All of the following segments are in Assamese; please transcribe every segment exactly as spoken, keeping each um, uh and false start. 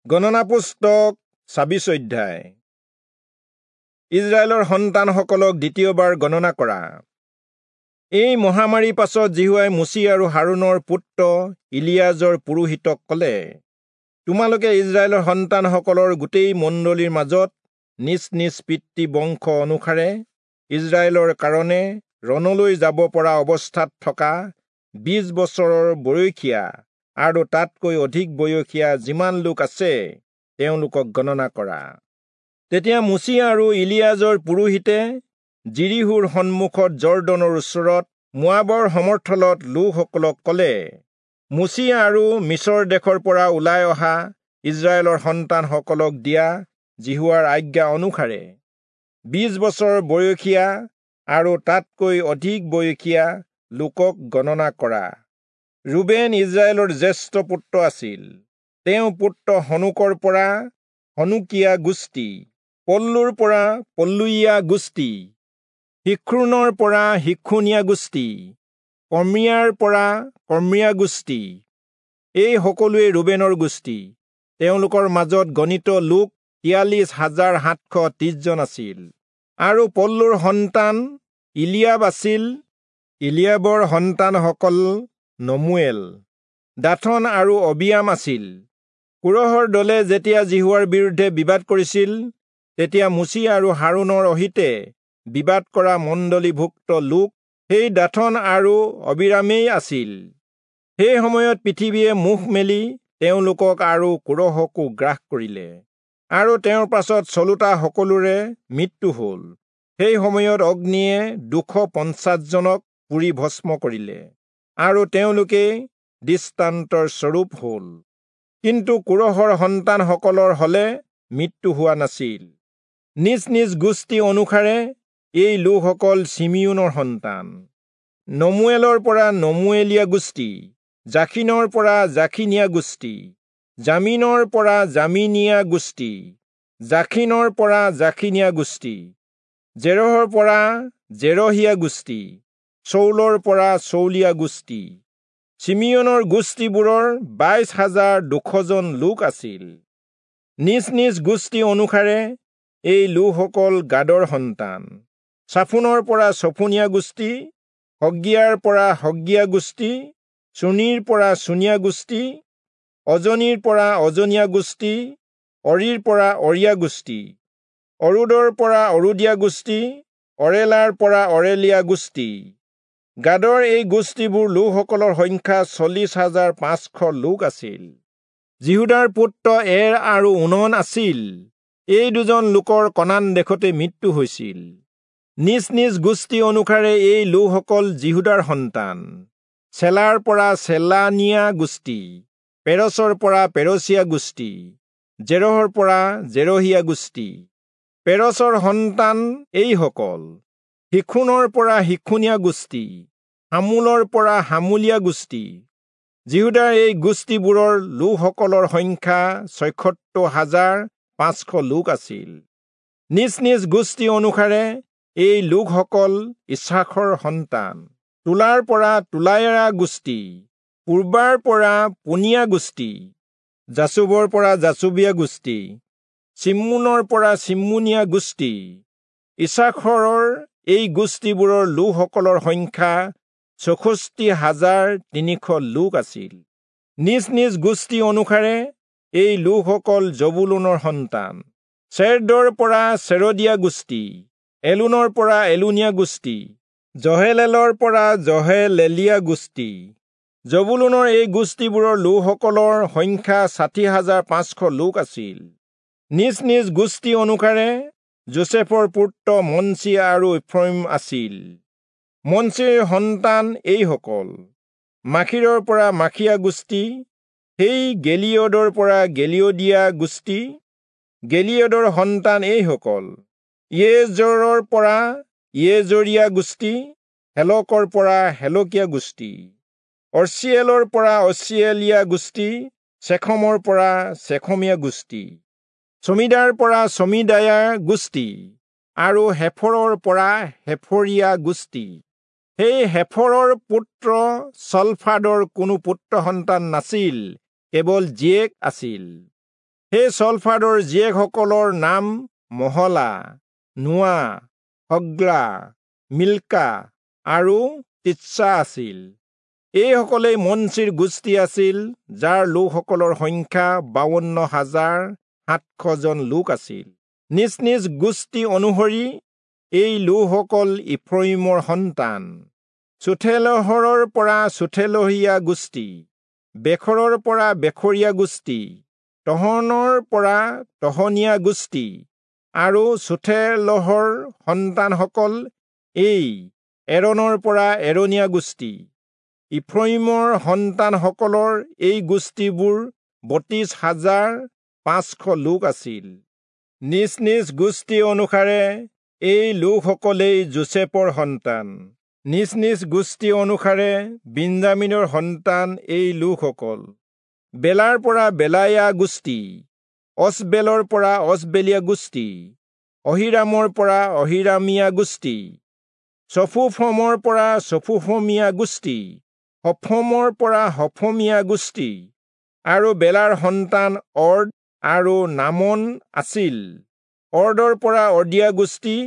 গণনা পুস্তক ছাব্বিশ অধ্যায়। ইজৰাইলৰ সন্তানসকলক দ্বিতীয়বাৰ গণনা কৰা। এই মহামাৰীৰ পাছত যিহোৱাই মোচি আৰু হাৰোণৰ পুত্ৰ ইলিয়াজৰ পুৰোহিতক কলে, তোমালোকে ইজৰাইলৰ সন্তানসকলৰ গোটেই মণ্ডলীৰ মাজত নিজ নিজ পিতৃ বংশ অনুসাৰে ইজৰাইলৰ কাৰণে ৰণলৈ যাব পৰা অৱস্থাত থকা বিশ বছৰৰ বয়সীয়া আৰু তাতকৈ অধিক বয়সীয়া যিমান লোক আছে তেওঁলোকক গণনা কৰা। তেতিয়া মোচি আৰু ইলিয়াজৰ পুৰোহিতে যিৰীহোৰ সন্মুখত যৰ্দনৰ ওচৰত মোৱাবৰ সমৰ্থলত লোকসকলক কলে, মোচি আৰু মিচৰ দেশৰ পৰা ওলাই অহা ইজৰাইলৰ সন্তানসকলক দিয়া যিহোৱাৰ আজ্ঞা অনুসাৰে বিশ বছৰ বয়সীয়া আৰু তাতকৈ অধিক বয়সীয়া লোকক গণনা কৰা। ৰুবেন ইজৰাইলৰ জ্যেষ্ঠ পুত্ৰ আছিল। তেওঁ পুত্ৰ হনোকৰ পৰা হনোকীয়া গোষ্ঠী, পল্লুৰ পৰা পল্লুৱীয়া গোষ্ঠী, শিখ্ৰোণৰ পৰা শিখ্ৰোণীয়া গোষ্ঠী, কৰ্ম্মিয়াৰ পৰা কৰ্ম্মিয়া গোষ্ঠী। এই সকলোৱে ৰুবেনৰ গোষ্ঠী। তেওঁলোকৰ মাজত গণিত লোক তিয়াল্লিশ হাজাৰ সাতশ ত্ৰিশজন আছিল। আৰু পল্লুৰ সন্তান ইলিয়াব আছিল। ইলিয়াবৰ সন্তানসকল নমুৱেল, দাথন আৰু অবিয়াম আছিল। কোৰহৰ দলে যেতিয়া যিহোৱাৰ বিৰুদ্ধে বিবাদ কৰিছিল, তেতিয়া মোচি আৰু হাৰোণৰ অহিতে বিবাদ কৰা মণ্ডলীভুক্ত লোক সেই দাথন আৰু অবিৰামেই আছিল। সেই সময়ত পৃথিৱীয়ে মুখ মেলি তেওঁলোকক আৰু কোৰহকো গ্ৰাস কৰিলে, আৰু তেওঁৰ পাছত চলোতা সকলোৰে মৃত্যু হ'ল। সেই সময়ত অগ্নিয়ে দুশ পঞ্চাশজনক পুৰি ভস্ম কৰিলে, আৰু তেওঁলোকে দৃষ্টান্তৰ স্বৰূপ হ'ল। কিন্তু কোৰহৰ সন্তানসকলৰ হলে মৃত্যু হোৱা নাছিল। নিজ নিজ গোষ্ঠী অনুসাৰে এই লোকসকল চিমিয়োনৰ সন্তান। নমুৱেলৰ পৰা নমুৱেলীয়া গোষ্ঠী, জাখিনৰ পৰা জাখিনীয়া গোষ্ঠী, জামিনৰ পৰা জামিনীয়া গোষ্ঠী, জাখিনৰ পৰা জাখিনীয়া গোষ্ঠী, জেৰহৰ পৰা জেৰহীয়া গোষ্ঠী, চৌলৰ পৰা চৌলীয়া গোষ্ঠী। চিমিয়োনৰ গোষ্ঠীবোৰৰ বাইশ হাজাৰ দুশজন লোক আছিল। নিজ নিজ গোষ্ঠী অনুসাৰে এই লোকসকল গাদৰ সন্তান। চাফোনৰ পৰা চফোনীয়া গোষ্ঠী, হগ্গিয়াৰ পৰা হগ্গিয়া গোষ্ঠী, চুনীৰ পৰা চুনীয়া গোষ্ঠী, অজনীৰ পৰা অজনীয়া গোষ্ঠী, অৰিৰ পৰা অৰিয়া গোষ্ঠী, অৰোদৰ পৰা অৰোদীয়া গোষ্ঠী, অৰেলাৰ পৰা অৰেলীয়া গোষ্ঠী। গাদৰ এই গোষ্ঠীবোৰ লোকসকলৰ সংখ্যা চল্লিশ হাজাৰ পাঁচশ লোক আছিল। যিহূদাৰ পুত্ৰ এৰ আৰু ওনন আছিল। এই দুজন লোকৰ কনান দেশতে মৃত্যু হৈছিল। নিজ নিজ গোষ্ঠী অনুসাৰে এই লোকসকল যিহূদাৰ সন্তান। চেলাৰ পৰা চেলানীয়া গোষ্ঠী, পেৰচৰ পৰা পেৰচীয়া গোষ্ঠী, জেৰহৰ পৰা জেৰহীয়া গোষ্ঠী। পেৰচৰ সন্তান এইসকল: শিখোনৰ পৰা শিখোনীয়া গোষ্ঠী, হামূলৰ পৰা হামূলীয়া গোষ্ঠী। যিহূদাৰ এই গোষ্ঠীবোৰৰ লোকসকলৰ সংখ্যা ছয়সত্তৰ হাজাৰ পাঁচশ লোক আছিল। নিজ নিজ গোষ্ঠী অনুসাৰে এই লোকসকল ইচ্ছাখৰ সন্তান। তোলাৰ পৰা তোলায়া গোষ্ঠী, পূৰ্বাৰ পৰা পুনিয়া গোষ্ঠী, যাচুবৰ পৰা যাচুবীয়া গোষ্ঠী, চিম্মোনৰ পৰা চিম্মোনীয়া গোষ্ঠী। ইচ্ছাখৰৰ এই গোষ্ঠীবোৰৰ লোকসকলৰ সংখ্যা চৌষষ্ঠি হাজাৰ তিনিশ লোক আছিল। নিজ নিজ গোষ্ঠী অনুসাৰে এই লোকসকল জবুলূনৰ সন্তান। চেৰদৰ পৰা চেৰদীয়া গোষ্ঠী, এলোনৰ পৰা এলোনীয়া গোষ্ঠী, জহেলেলৰ পৰা জহেলেলীয়া গোষ্ঠী। জবুলূনৰ এই গোষ্ঠীবোৰৰ লোকসকলৰ সংখ্যা ষাঠি হাজাৰ পাঁচশ লোক আছিল। নিজ নিজ গোষ্ঠী অনুসাৰে যোচেফৰ পুত্ৰ মনচি আৰু ইফ্ৰয়িম আছিল। মনচিৰ সন্তান এইসকল: মাখীৰৰ পৰা মাখীয়া গোষ্ঠী, সেই গেলিয়দৰ পৰা গেলিয়দীয়া গোষ্ঠী। গেলিয়দৰ সন্তান এইসকল: ইয়েজৰৰ পৰা ইয়েজৰীয়া গোষ্ঠী, হেলকৰ পৰা হেলকীয়া গোষ্ঠী, অৰ্চিয়েলৰ পৰা অৰ্চিয়েলীয়া গোষ্ঠী, চেখমৰ পৰা চেখমীয়া গোষ্ঠী, চমিদাৰ পৰা চমিদায়া গোষ্ঠী আৰু হেফৰৰ পৰা হেফৰীয়া গোষ্ঠী। সেই হেফৰৰ পুত্ৰ চলফাদৰ কোনো পুত্ৰ সন্তান নাছিল, কেৱল জীয়েক আছিল। সেই চলফাদৰ জীয়েকসকলৰ নাম মহলা, নোৱা, হগ্লা, মিল্কা আৰু তিৎসা আছিল। এইসকলেই মনচিৰ গোষ্ঠী আছিল, যাৰ লোকসকলৰ সংখ্যা বাৱন্ন হাজাৰ সাতশজন লোক আছিল। নিজ নিজ গোষ্ঠী অনুসৰি এই লোকসকল ইফ্ৰয়িমৰ সন্তান। চুথেলহৰৰ পৰা চুথেলহীয়া গোষ্ঠী, বেখৰৰ পৰা বেখৰীয়া গোষ্ঠী, তহনৰ পৰা তহনীয়া গোষ্ঠী। আৰু চুথেলহৰ সন্তানসকল এই এৰণৰ পৰা এৰণীয়া গোষ্ঠী। ইফ্ৰয়িমৰ সন্তানসকলৰ এই গোষ্ঠীবোৰ বত্ৰিশ হাজাৰ পাঁচশ লোক আছিল। নিজ নিজ গোষ্ঠী অনুসাৰে এই লোকসকলেই যোচেফৰ সন্তান। নিজ নিজ গোষ্ঠী অনুসাৰে বিন্যামীনৰ সন্তান এই লোকসকল। বেলাৰ পৰা বেলায়া গোষ্ঠী, অচবেলৰ পৰা অচবেলীয়া গোষ্ঠী, অহিৰামৰ পৰা অহিৰামীয়া গোষ্ঠী, চফুফমৰ পৰা চফুফমীয়া গোষ্ঠী, হফমৰ পৰা হফমীয়া গোষ্ঠী। আৰু বেলাৰ সন্তান অৰ্দ আৰু নামন আছিল। অৰ্দৰ পৰা অৰ্দিয়া গোষ্ঠী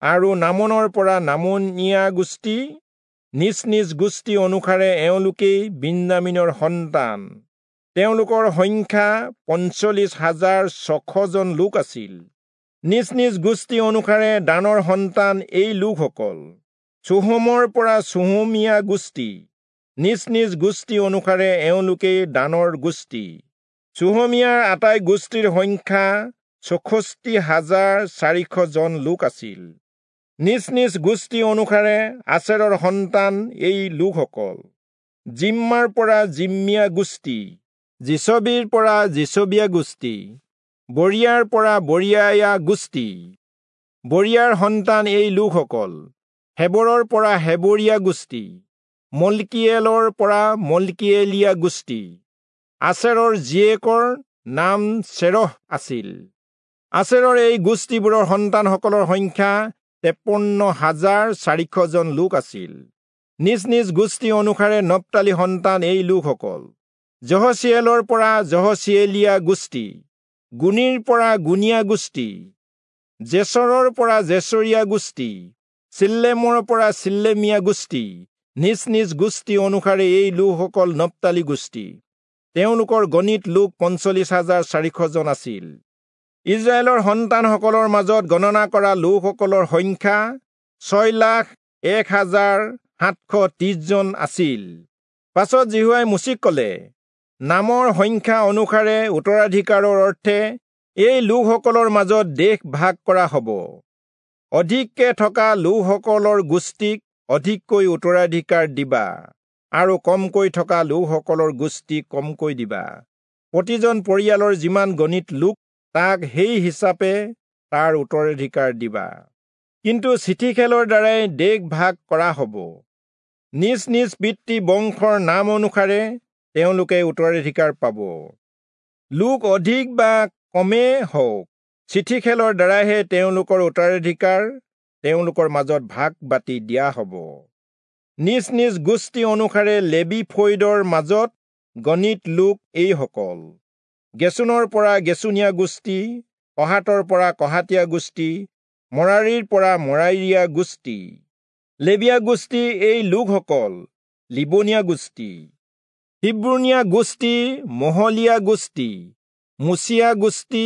আৰু নামনৰ পৰা নামনীয়া গোষ্ঠী। নিজ নিজ গোষ্ঠী অনুসাৰে এওঁলোকেই বিন্যামীনৰ সন্তান। তেওঁলোকৰ সংখ্যা পঞ্চল্লিশ হাজাৰ ছশজন লোক আছিল। নিজ নিজ গোষ্ঠী অনুসাৰে দানৰ সন্তান এই লোকসকল। চুহমৰ পৰা চুহমীয়া গোষ্ঠী। নিজ নিজ গোষ্ঠী অনুসাৰে এওঁলোকেই দানৰ গোষ্ঠী। চুহমীয়াৰ আটাই গোষ্ঠীৰ সংখ্যা চৌষষ্ঠি হাজাৰ চাৰিশজন লোক আছিল। নিজ নিজ গোষ্ঠী অনুসাৰে আচেৰৰ সন্তান এই লোকসকল। জিম্মাৰ পৰা জিম্মিয়া গোষ্ঠী, জিচবিৰ পৰা জিচবিয়া গোষ্ঠী, বৰিয়াৰ পৰা বৰিয়ায়া গোষ্ঠী। বৰিয়াৰ সন্তান এই লোকসকল। হেবৰৰ পৰা হেবৰীয়া গোষ্ঠী, মলকিয়েলৰ পৰা মলকিয়েলীয়া গোষ্ঠী। আচেৰৰ জীয়েকৰ নাম চেৰহ আছিল। আচেৰৰ এই গোষ্ঠীবোৰৰ সন্তানসকলৰ সংখ্যা তেপন্ন হাজাৰ চাৰিশজন লোক আছিল। নিজ নিজ গোষ্ঠী অনুসাৰে নপ্তালি সন্তান এই লোকসকল। জহচিয়েলৰ পৰা জহচিয়েলীয়া গোষ্ঠী, গুণীৰ পৰা গুণীয়া গোষ্ঠী, জেচৰৰ পৰা জেচৰীয়া গোষ্ঠী, চিল্লেমৰ পৰা চিল্লেমীয়া গোষ্ঠী। নিজ নিজ গোষ্ঠী অনুসাৰে এই লোকসকল নপ্তালি গোষ্ঠী। তেওঁলোকৰ গণিত লোক পঞ্চল্লিশ হাজাৰ চাৰিশজন আছিল। ইজৰাইলৰ সন্তানসকলৰ মাজত গণনা কৰা লোকসকলৰ সংখ্যা ছয় লাখ এক হাজাৰ সাতশ ত্ৰিশজন আছিল। পাছত যিহোৱাই মোচিক ক'লে, নামৰ সংখ্যা অনুসাৰে উত্তৰাধিকাৰৰ অৰ্থে এই লোকসকলৰ মাজত দেশ ভাগ কৰা হ'ব। অধিককে থকা লোকসকলৰ গোষ্ঠীক অধিককৈ উত্তৰাধিকাৰ দিবা আৰু কমকৈ থকা লোকসকলৰ গোষ্ঠীক কমকৈ দিবা। প্ৰতিজন পৰিয়ালৰ যিমান গণিত লোক, তাক সেই হিচাপে তাৰ উত্তৰাধিকাৰ দিবা। কিন্তু চিঠি খেলৰ দ্বাৰাই দেশ ভাগ কৰা হ'ব। নিজ নিজ পিতৃ বংশৰ নাম অনুসাৰে তেওঁলোকে উত্তৰাধিকাৰ পাব। লোক অধিক বা কমে হওক, চিঠি খেলৰ দ্বাৰাইহে তেওঁলোকৰ উত্তৰাধিকাৰ তেওঁলোকৰ মাজত ভাগ বাতি দিয়া হ'ব। নিজ নিজ গোষ্ঠী অনুসাৰে লেবী ফৈদৰ মাজত গণিত লোক এইসকল। গেচোনৰ পৰা গেচোনীয়া গোষ্ঠী, কহাতৰ পৰা কহাতীয়া গোষ্ঠী, মৰাৰীৰ পৰা মৰাৰীয়া গোষ্ঠী। লেবীয়া গোষ্ঠী এই লোকসকল। লিবনীয়া গোষ্ঠী, হিব্ৰোণীয়া গোষ্ঠী, মহলীয়া গোষ্ঠী, মুচিয়া গোষ্ঠী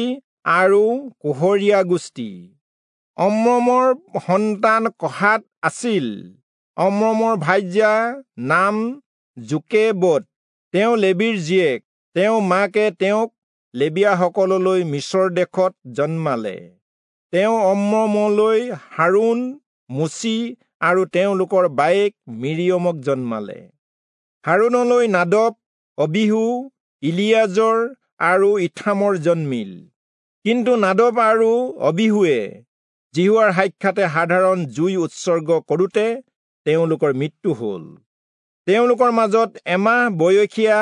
আৰু কোহৰীয়া গোষ্ঠী। অম্ৰমৰ সন্তান কহাত আছিল। অম্ৰমৰ ভাৰ্যা নাম যোকেবদ, তেওঁ লেবীৰ জীয়েক। তেওঁ মাকে তেওঁক লেবীয়াসকললৈ মিচৰ দেশত জন্মালে। তেওঁ অম্ৰমলৈ হাৰোণ, মোচি আৰু তেওঁলোকৰ বায়েক মিৰিয়মক জন্মালে। হাৰোণলৈ নাদব, অবিহু, ইলিয়াজৰ আৰু ইথামৰ জন্মিল। কিন্তু নাদব আৰু অবিহুৱে যিহোৱাৰ সাক্ষাতে সাধাৰণ জুই উৎসৰ্গ কৰোঁতে তেওঁলোকৰ মৃত্যু হ'ল। তেওঁলোকৰ মাজত এমাহ বয়সীয়া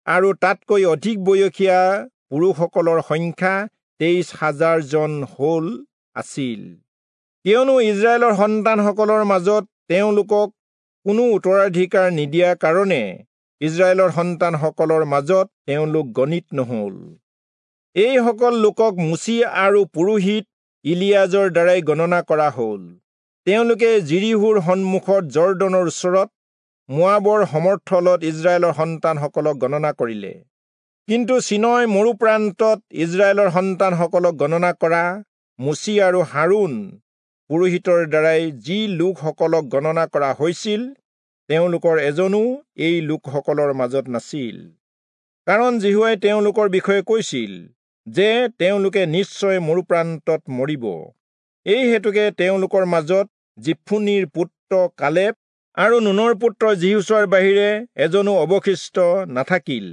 আৰু তাতকৈ অধিক বয়সীয়া পুৰুষসকলৰ সংখ্যা তেইছ হাজাৰজন হ'ল আছিল। কিয়নো ইজৰাইলৰ সন্তানসকলৰ মাজত তেওঁলোকক কোনো উত্তৰাধিকাৰ নিদিয়া কাৰণে ইজৰাইলৰ সন্তানসকলৰ মাজত তেওঁলোক গণিত নহ'ল। এইসকল লোকক মোচি আৰু পুৰোহিত ইলিয়াজৰ দ্বাৰাই গণনা কৰা হ'ল। তেওঁলোকে যিৰীহোৰ সন্মুখত যৰ্দনৰ ওচৰত মোৱাবৰ সমৰ্থলত ইস্ৰায়েলৰ সন্তানসকলক গণনা কৰিলে। কিন্তু চীনয় মৰুপ্ৰান্তত ইস্ৰায়েলৰ সন্তানসকলক গণনা কৰা মোচি আৰু হাৰোণ পুৰোহিতৰ দ্বাৰাই যি লোকসকলক গণনা কৰা হৈছিল, তেওঁলোকৰ এজনো এই লোকসকলৰ মাজত নাছিল। কাৰণ যিহোৱাই তেওঁলোকৰ বিষয়ে কৈছিল যে তেওঁলোকে নিশ্চয় মৰুপ্ৰান্তত মৰিব। এই হেতুকে তেওঁলোকৰ মাজত যিফুনিৰ পুত্ৰ কালেব আৰু নুনৰ পুত্ৰ যিহোচূৱাৰ বাহিৰে এজনো অৱশিষ্ট নাথাকিল।